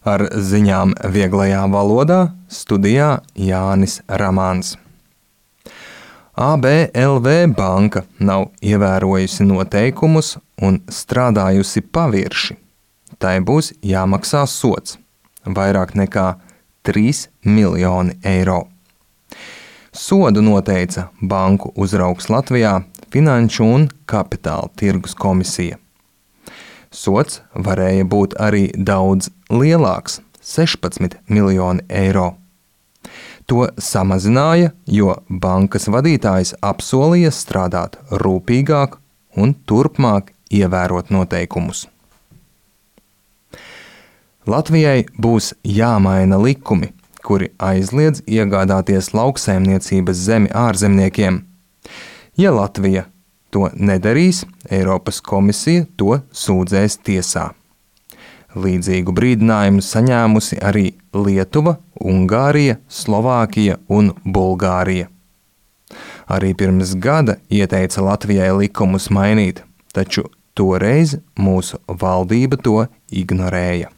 Ar ziņām vieglajā valodā studijā Jānis Ramāns. ABLV banka nav ievērojusi noteikumus un strādājusi pavirši. Tai būs jāmaksā sods vairāk nekā 3 miljoni eiro. Sodu noteica banku uzraugs Latvijā Finanšu un kapitāla tirgus komisija. Sods varēja būt arī daudz lielāks – 16 miljoni eiro. To samazināja, jo bankas vadītājs apsolīja strādāt rūpīgāk un turpmāk ievērot noteikumus. Latvijai būs jāmaina likumi, kuri aizliedz iegādāties lauksaimniecības zemi ārzemniekiem. Ja Latvija to nedarīs, Eiropas komisija to sūdzēs tiesā. Līdzīgu brīdinājumu saņēmusi arī Lietuva, Ungārija, Slovākija un Bulgārija. Arī pirms gada ieteica Latvijai likumus mainīt, taču toreiz mūsu valdība to ignorēja.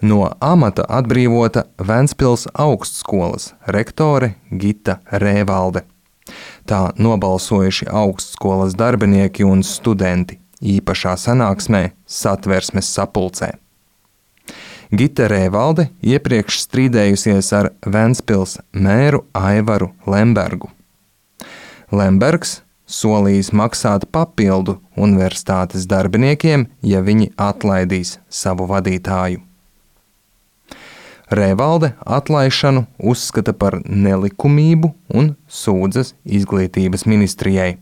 No amata atbrīvota Ventspils augstskolas rektore Gita Rēvalde. Tā nobalsojuši augstskolas darbinieki un studenti īpašā sanāksmē Satversmes sapulcē. Gita Rēvalde iepriekš strīdējusies ar Ventspils mēru Aivaru Lembergu. Lembergs solījis maksāt papildu universitātes darbiniekiem, ja viņi atlaidīs savu vadītāju. Rēvalde atlaišanu uzskata par nelikumību un sūdzas izglītības ministrijai.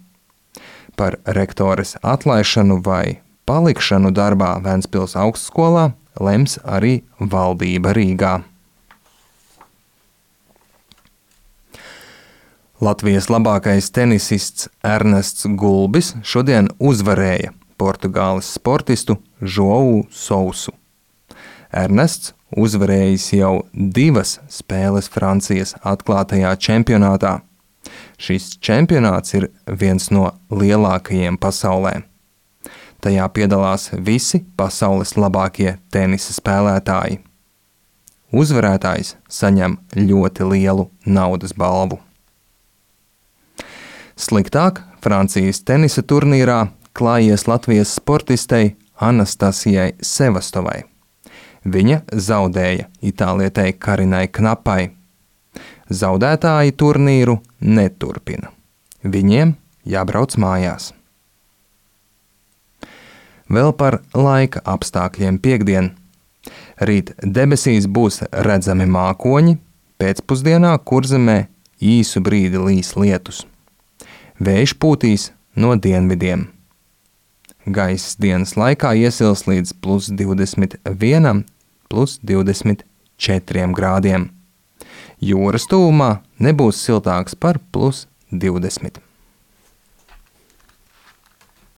Par rektores atlaišanu vai palikšanu darbā Ventspils augstskolā lems arī valdība Rīgā. Latvijas labākais tenisists Ernests Gulbis šodien uzvarēja Portugāles sportistu Joau Sousu. Ernests uzvarējis jau 2 spēles Francijas atklātajā čempionātā. Šis čempionāts ir viens no lielākajiem pasaulē. Tajā piedalās visi pasaules labākie tenisa spēlētāji. Uzvarētājs saņem ļoti lielu naudas balvu. Sliktāk Francijas tenisa turnīrā klājies Latvijas sportistei Anastasijai Sevastovai. Viņa zaudēja itālietei Karinai Knapai. Zaudētāji turnīru neturpina. Viņiem jābrauc mājās. Vēl par laika apstākļiem piektdien. Rīt debesīs būs redzami mākoņi, pēcpusdienā Kurzemē īsu brīdi līs lietus. Vējš pūtīs no dienvidiem. Gaiss dienas laikā iesils līdz +21, +24 grādiem. Jūras tuvumā nebūs siltāks par +20.